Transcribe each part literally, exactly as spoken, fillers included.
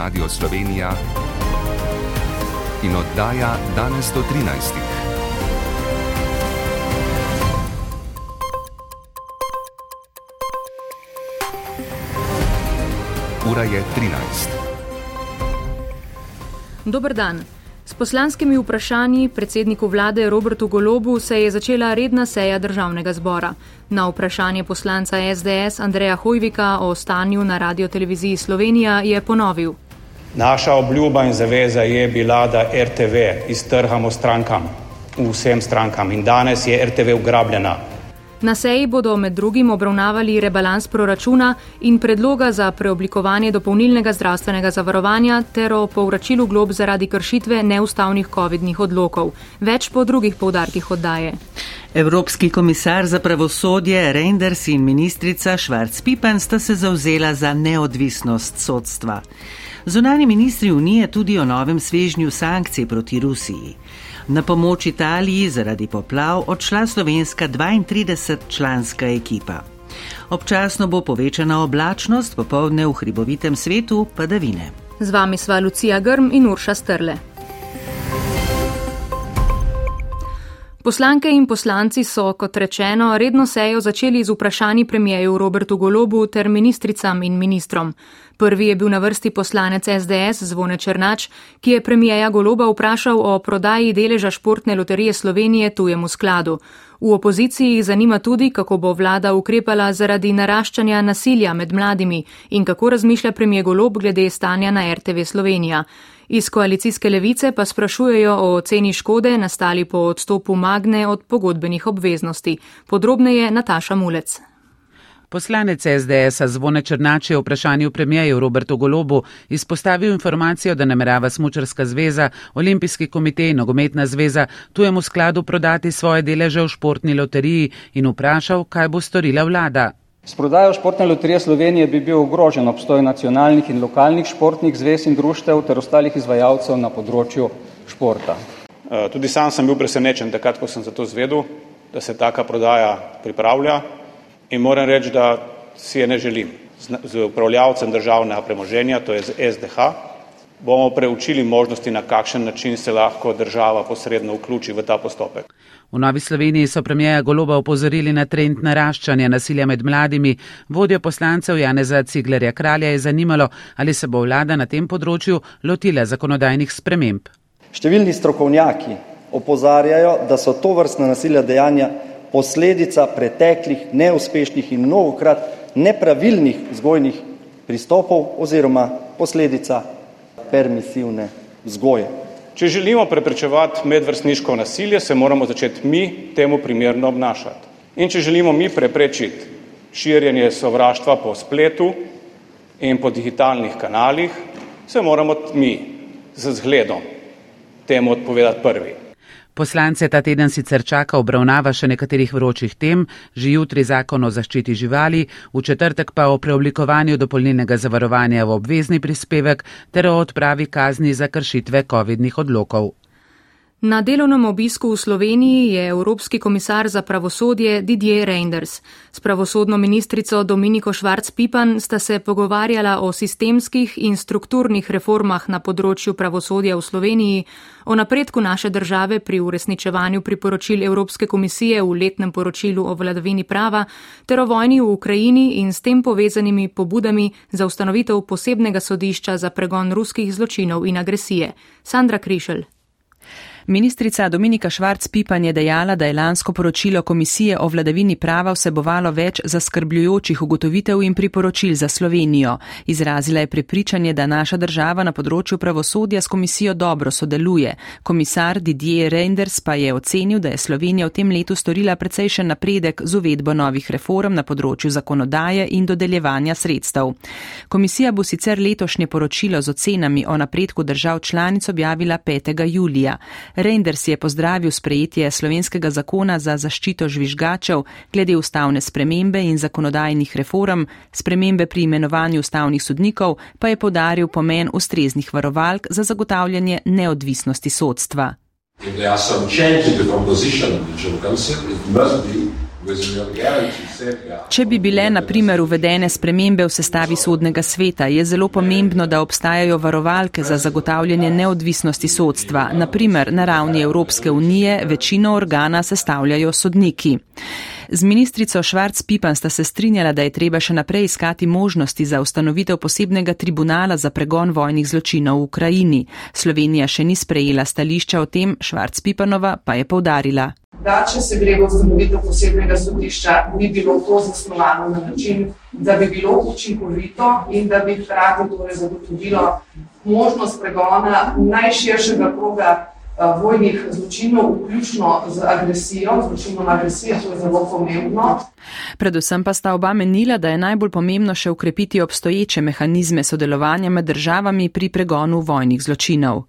Radio Slovenija in oddaja Danes do trinajstih. Ura je trinajst. Dober dan. S poslanskimi vprašanji predsedniku vlade Robertu Golobu se je začela redna seja državnega zbora. Na vprašanje poslanca es de es Andreja Hojvika o stanju na Radioteleviziji Slovenija je ponovil. Naša obljuba in zaveza je bila, da er te ve iztrgamo strankam, vsem strankam, in danes je er te ve ugrabljena. Na seji bodo med drugim obravnavali rebalans proračuna in predloga za preoblikovanje dopolnilnega zdravstvenega zavarovanja ter o povračilu glob zaradi kršitve neustavnih covidnih odlokov. Več po drugih poudarkih oddaje. Evropski komisar za pravosodje Reynders in ministrica Švarc-Pipan sta se zavzela za neodvisnost sodstva. Zunanji ministri Unije tudi o novem svežnju sankcij proti Rusiji. Na pomoč Italiji zaradi poplav odšla slovenska dvaintridesetčlanska ekipa. Občasno bo povečana oblačnost, popoldne v hribovitem svetu padavine. Z vami sva Lucija Grm in Urša Strle. Poslanke in poslanci so, kot rečeno, redno sejo začeli z vprašanji premierju Robertu Golobu ter ministricam in ministrom. Prvi je bil na vrsti poslanec es de es Zvone Černač, ki je premierja Goloba vprašal o prodaji deleža Športne loterije Slovenije tujemu skladu. V opoziciji jih zanima tudi, kako bo vlada ukrepala zaradi naraščanja nasilja med mladimi in kako razmišlja premijer Golob glede stanja na er te ve Slovenija. Iz koalicijske levice pa sprašujejo o oceni škode nastali po odstopu Magne od pogodbenih obveznosti. Podrobneje Nataša Mulec. Poslanec es de es Zvone Černač je v vprašanju premierju Robertu Golobu izpostavil informacijo, da namerava Smučarska zveza, Olimpijski komitej in Nogometna zveza tujemu skladu prodati svoje deleže v Športni loteriji in vprašal, kaj bo storila vlada. S prodajo Športne loterije Slovenije bi bil ogrožen obstoj nacionalnih in lokalnih športnih zvez in društev ter ostalih izvajalcev na področju športa. Tudi sam sem bil presenečen takrat, ko sem za to zvedel, da se taka prodaja pripravlja. In moram reči, da si je ne želim. Z upravljavcem državnega premoženja, to je z es de ha, bomo preučili možnosti, na kakšen način se lahko država posredno vključi v ta postopek. V Novi Sloveniji so premierja Goloba opozorili na trend naraščanja nasilja med mladimi. Vodjo poslancev Janeza Ciglerja Kralja je zanimalo, ali se bo vlada na tem področju lotila zakonodajnih sprememb. Številni strokovnjaki opozarjajo, da so tovrstna nasilja dejanja posledica preteklih, neuspešnih in mnogokrat nepravilnih vzgojnih pristopov oziroma posledica permisivne vzgoje. Če želimo preprečevati medvrstniško nasilje, se moramo začeti mi temu primerno obnašati. In če želimo mi preprečiti širjenje sovraštva po spletu in po digitalnih kanalih, se moramo mi z zgledom temu odpovedati prvi. Poslance ta teden sicer čaka obravnava še nekaterih vročih tem, že jutri zakon o zaščiti živali, v četrtek pa o preoblikovanju dopolnilnega zavarovanja v obvezni prispevek ter o odpravi kazni za kršitve covidnih odlokov. Na delovnem obisku v Sloveniji je Evropski komisar za pravosodje Didier Reynders. S pravosodno ministrico Dominiko Švarc-Pipan sta se pogovarjala o sistemskih in strukturnih reformah na področju pravosodja v Sloveniji, o napredku naše države pri uresničevanju priporočil Evropske komisije v letnem poročilu o vladavini prava ter o vojni v Ukrajini in s tem povezanimi pobudami za ustanovitev posebnega sodišča za pregon ruskih zločinov in agresije. Sandra Krišelj. Ministrica Dominika Švarc-Pipan je dejala, da je lansko poročilo Komisije o vladavini prava vsebovalo več zaskrbljujočih ugotovitev in priporočil za Slovenijo. Izrazila je prepričanje, da naša država na področju pravosodja s komisijo dobro sodeluje. Komisar Didier Reynders pa je ocenil, da je Slovenija v tem letu storila precejšen napredek z uvedbo novih reform na področju zakonodaje in dodeljevanja sredstev. Komisija bo sicer letošnje poročilo z ocenami o napredku držav članic objavila petega julija. Reynders je pozdravil sprejetje slovenskega zakona za zaščito žvižgačev glede ustavne spremembe in zakonodajnih reform, spremembe pri imenovanju ustavnih sodnikov pa je poudaril pomen ustreznih varovalk za zagotavljanje neodvisnosti sodstva. Če bi bile na primer uvedene spremembe v sestavi sodnega sveta, je zelo pomembno, da obstajajo varovalke za zagotavljanje neodvisnosti sodstva. Na primer, na ravni Evropske unije večino organa sestavljajo sodniki. Z ministrico Švarc Pipan sta se strinjala, da je treba še naprej iskati možnosti za ustanovitev posebnega tribunala za pregon vojnih zločinov v Ukrajini. Slovenija še ni sprejela stališča o tem, Švarc Pipanova pa je poudarila. Da, če se gre v ustanovitev posebnega sodišča, bi bilo to zasnovano na način, da bi bilo učinkovito in da bi hkrati torej zagotovilo možnost pregona najširšega kroga vojnih zločinov, vključno z agresijo, zločinom agresije, to je zelo pomembno. Predvsem pa sta oba menila, da je najbolj pomembno še ukrepiti obstoječe mehanizme sodelovanja med državami pri pregonu vojnih zločinov.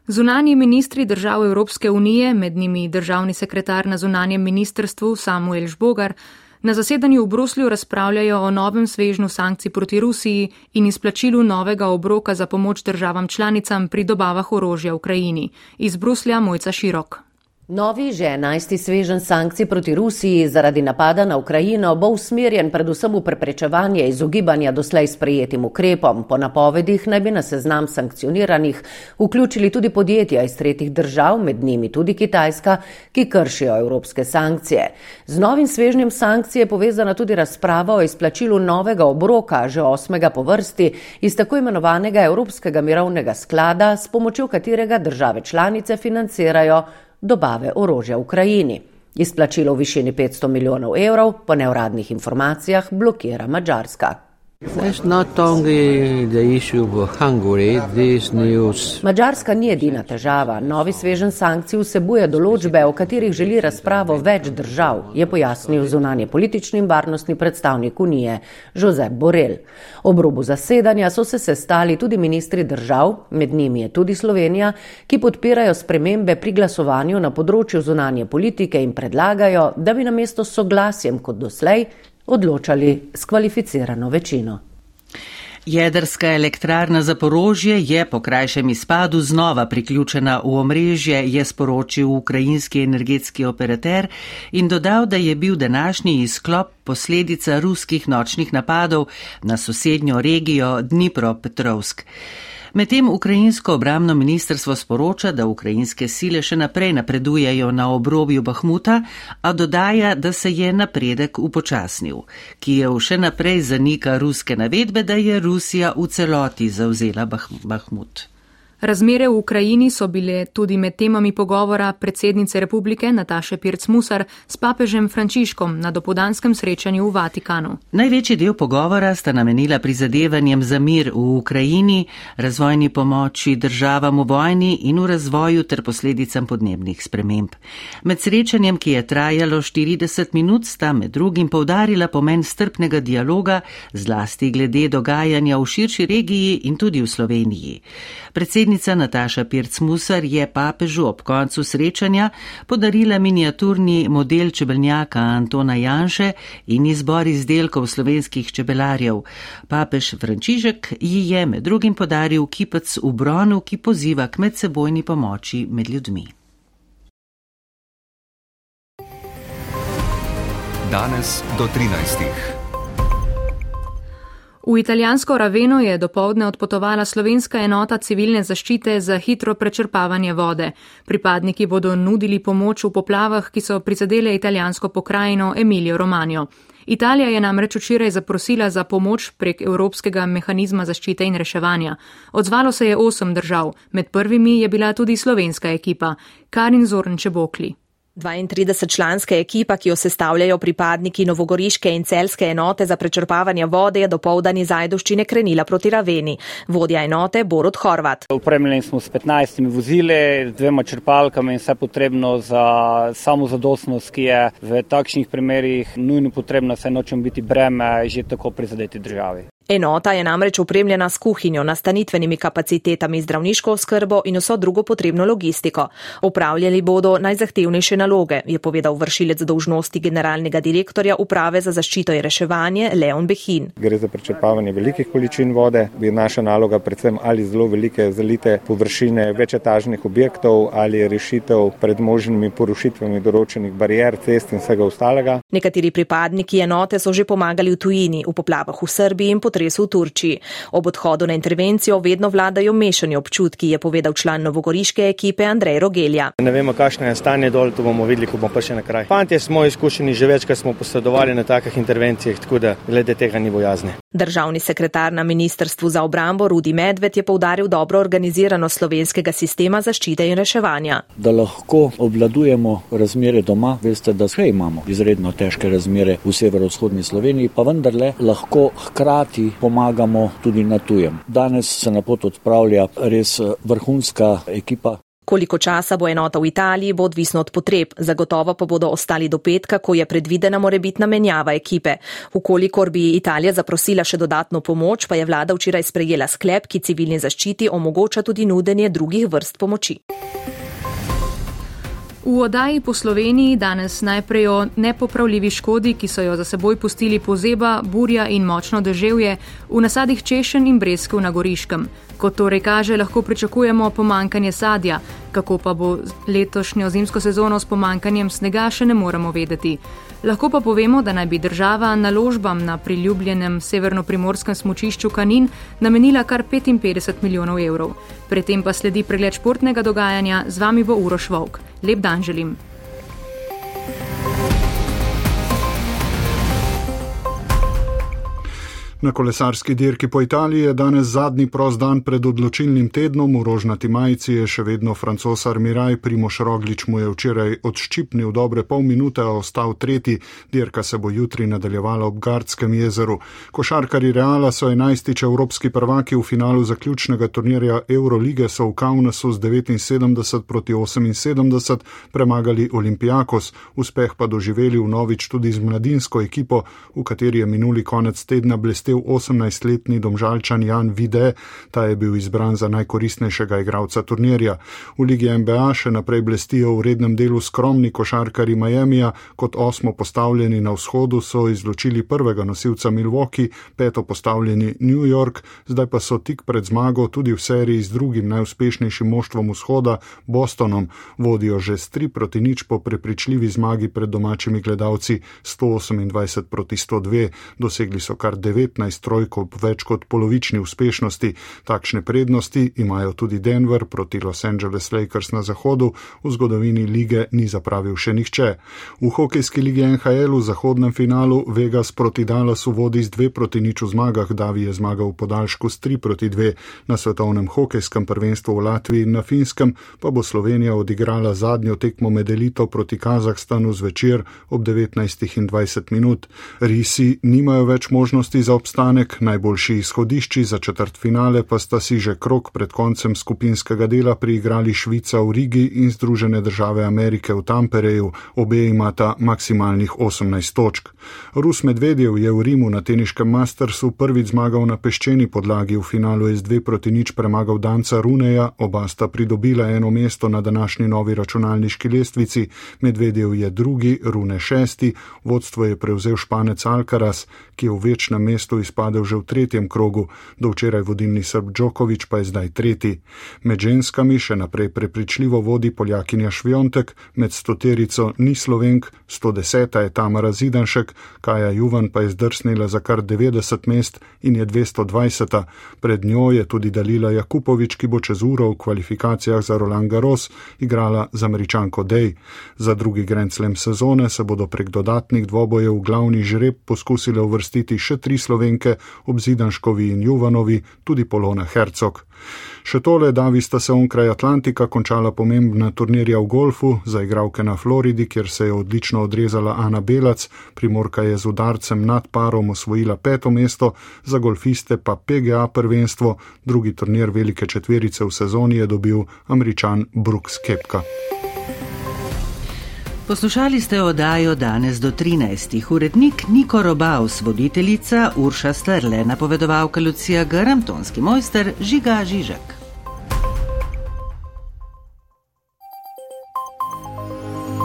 Zunanji ministri držav Evropske unije, med njimi državni sekretar na zunanjem ministrstvu Samuel Žbogar, na zasedanju v Bruslju razpravljajo o novem svežnju sankcij proti Rusiji in izplačilu novega obroka za pomoč državam članicam pri dobavah orožja Ukrajini. Iz Bruslja Mojca Širok. Novi že enajsti sveženj sankcij proti Rusiji zaradi napada na Ukrajino bo usmerjen predvsem v preprečevanje izogibanja doslej sprejetim ukrepom. Po napovedih naj bi na seznam sankcioniranih vključili tudi podjetja iz tretjih držav, med njimi tudi Kitajska, ki kršijo evropske sankcije. Z novim svežnjem sankcij je povezana tudi razprava o izplačilu novega obroka, že osmega po vrsti, iz tako imenovanega Evropskega mirovnega sklada, s pomočjo katerega države članice financirajo dobave orožja v Ukrajini. Izplačilo v višini petsto milijonov evrov po neuradnih informacijah blokira Madžarska. Madžarska ni edina težava. Novi sveženj sankcij vsebuje določbe, o katerih želi razpravo več držav, je pojasnil zunanje politični in varnostni predstavnik Unije Josep Borrell. Ob robu zasedanja so se sestali tudi ministri držav, med njimi je tudi Slovenija, ki podpirajo spremembe pri glasovanju na področju zunanje politike in predlagajo, da bi namesto s soglasjem kot doslej odločali s kvalificirano večino. Jedrska elektrarna Zaporožje je po krajšem izpadu znova priključena v omrežje, je sporočil ukrajinski energetski operater in dodal, da je bil današnji izklop posledica ruskih nočnih napadov na sosednjo regijo Dnipropetrovsk. Medtem ukrajinsko obrambno ministrstvo sporoča, da ukrajinske sile še naprej napredujejo na obrobju Bahmuta, a dodaja, da se je napredek upočasnil. Kijev še naprej zanika ruske navedbe, da je Rusija v celoti zavzela Bahmut. Razmere v Ukrajini so bile tudi med temami pogovora predsednice republike Nataše Pirc-Musar s papežem Frančiškom na dopoldanskem srečanju v Vatikanu. Največji del pogovora sta namenila prizadevanjem za mir v Ukrajini, razvojni pomoči državam v vojni in v razvoju ter posledicam podnebnih sprememb. Med srečanjem, ki je trajalo štirideset minut, sta med drugim poudarila pomen strpnega dialoga, zlasti glede dogajanja v širši regiji in tudi v Sloveniji. Predsednica Nataša Pirc-Musar je papežu ob koncu srečanja podarila miniaturni model čebeljaka Antona Janše in izbor izdelkov slovenskih čebelarjev. Papež Frančišek ji je med drugim podaril kipec v bronu, ki poziva k medsebojni pomoči med ljudmi. Danes do trinajstih. V italijansko Raveno je dopoldne odpotovala slovenska enota civilne zaščite za hitro prečrpavanje vode. Pripadniki bodo nudili pomoč v poplavah, ki so prizadele italijansko pokrajino Emilijo Romanjo. Italija je namreč včeraj zaprosila za pomoč prek Evropskega mehanizma zaščite in reševanja. Odzvalo se je osem držav, med prvimi je bila tudi slovenska ekipa. Karin Zorn-Čebokli. dvaintridesetčlanska ekipa, ki jo sestavljajo pripadniki novogoriške in celjske enote za prečrpavanje vode, je dopoldan iz Ajdovščine krenila proti Raveni. Vodja enote Borut Horvat. Opremljeni smo s petnajstimi vozili, dvema črpalkami in vse potrebno za samozadostnost, ki je v takšnih primerih nujno potrebna, saj nočemo biti breme že tako prizadeti državi. Enota je namreč opremljena s kuhinjo, nastanitvenimi kapacitetami, zdravniško oskrbo in vso drugo potrebno logistiko. Upravljali bodo najzahtevnejše naloge, je povedal vršilec dolžnosti generalnega direktorja Uprave za zaščito in reševanje Leon Behin. Gre za prečrpavanje velikih količin vode, je naša naloga predvsem ali zelo velike zalite površine večetažnih objektov ali rešitev pred možnimi porušitvami določenih barijer, cest in vsega ostalega. Nekateri pripadniki enote so že pomagali v tujini, v poplavah v Srbiji in potresu v Turčiji. Ob odhodu na intervencijo vedno vladajo mešani občutki, je povedal član novogoriške ekipe Andrej Rogelja. Ne vemo, kakšno je stanje dol, to bomo videli, ko bomo pa še na kraj. Fantje smo izkušeni, že večkrat smo posredovali na takih intervencijah, tako da glede tega ni bojazni. Državni sekretar na Ministrstvu za obrambo Rudi Medved je poudaril dobro organiziranost slovenskega sistema zaščite in reševanja. Da lahko obvladujemo razmere doma, veste, da vse imamo izredno težke razmere v severovzhodni Sloveniji, pa vendarle lahko hkrati pomagamo tudi na tujem. Danes se na pot odpravlja res vrhunska ekipa. Koliko časa bo enota v Italiji, bo odvisno od potreb, zagotovo pa bodo ostali do petka, ko je predvidena morebitna menjava ekipe. Vkolikor bi Italija zaprosila še dodatno pomoč, pa je vlada včeraj sprejela sklep, ki civilni zaščiti omogoča tudi nudenje drugih vrst pomoči. V oddaji po Sloveniji danes najprej o nepopravljivi škodi, ki so jo za seboj pustili pozeba, burja in močno deževje v nasadih češenj in breskev na Goriškem. Kot torej kaže, lahko pričakujemo pomankanje sadja. Kako pa bo letošnjo zimsko sezono s pomankanjem snega, še ne moremo vedeti. Lahko pa povemo, da naj bi država naložbam na priljubljenem severno-primorskem smučišču Kanin namenila kar petinpetdeset milijonov evrov. Predtem pa sledi pregled športnega dogajanja, z vami bo Uroš Volk. Lep dan želim. Na kolesarski dirki po Italiji je danes zadnji prost dan pred odločilnim tednom. V rožnati majici je še vedno Francoz Armiraj, Primož Roglič mu je včeraj odščipnil dobre pol minute, a ostal tretji. Dirka se bo jutri nadaljevala ob Gardskem jezeru. Košarkarji Reala so enajstič evropski prvaki, v finalu zaključnega turnirja Eurolige so v Kaunasu z devetinsedemdeset proti oseminsedemdeset premagali Olympiakos. Uspeh pa doživeli vnovič tudi z mladinsko ekipo, v kateri je minuli konec tedna blestel osemnajstletni Domžalčan Jan Vide, ta je bil izbran za najkoristnejšega igralca turnirja. V Ligi N B A še naprej blestijo v rednem delu skromni košarkarji Miamija, kot osmo postavljeni na vzhodu so izločili prvega nosilca Milwaukee, peto postavljeni New York, zdaj pa so tik pred zmago tudi v seriji z drugim najuspešnejšim moštvom vzhoda, Bostonom. Vodijo že s tri proti nič po prepričljivi zmagi pred domačimi gledalci sto osemindvajset proti sto dve. Dosegli so kar devetnajst trojk ob več kot polovični uspešnosti. Takšne prednosti imajo tudi Denver proti Los Angeles Lakers na zahodu, v zgodovini lige ni zapravil še nihče. V hokejski ligi N H L v zahodnem finalu Vegas proti Dallasu vodi z dve proti nič v zmagah, Davi je zmagal v podaljšku s tri proti dve. Na svetovnem hokejskem prvenstvu v Latviji in na Finskem pa bo Slovenija odigrala zadnjo tekmo med elito proti Kazahstanu zvečer ob devetnajstih in dvajset minut. Risi nimajo več možnosti za obstanek, najboljši izhodišči za četrtfinale pa sta si že krog pred koncem skupinskega dela priigrali Švica v Rigi in Združene države Amerike v Tampereju, obe imata maksimalnih osemnajst točk. Rus Medvedjev je v Rimu na teniškem Mastersu prvič zmagal na peščeni podlagi, v finalu je z dve proti nič premagal Danca Runeja, oba sta pridobila eno mesto na današnji novi računalniški lestvici, Medvedjev je drugi, Rune šesti, vodstvo je prevzel Španec Alcaraz, ki je v večnem mestu izpadel že v tretjem krogu, do včeraj vodilni Srb Djokovic pa je zdaj tretji. Med ženskami še naprej prepričljivo vodi Poljakinja Šviontek, med stoterico ni Slovenk, sto deseta je Tamara Zidanšek, Kaja Juvan pa je zdrsnila za kar devetdeset mest in je dvesto dvajseta. Pred njo je tudi Dalila Jakupovič, ki bo čez uro v kvalifikacijah za Roland Garros igrala z Američanko Day. Za drugi Grand Slam sezone se bodo prek dodatnih dvobojev v glavni žreb poskusile uvrstiti še tri Slovenke, ob Zidanškovi in Juvanovi tudi Polona Hercog. Še tole, Davi sta se onkraj Atlantika končala pomembna turnirja v golfu, za igralke na Floridi, kjer se je odlično odrezala Ana Belac, Primorka je z udarcem nad parom osvojila peto mesto, za golfiste pa P G A prvenstvo, drugi turnir velike četverice v sezoni je dobil Američan Brooks Koepka. Poslušali ste oddajo Danes do trinajstih. Urednik Niko Robaus, voditeljica Urša Strle, napovedovalka Lucija Grm, tonski mojster Žiga Žižek.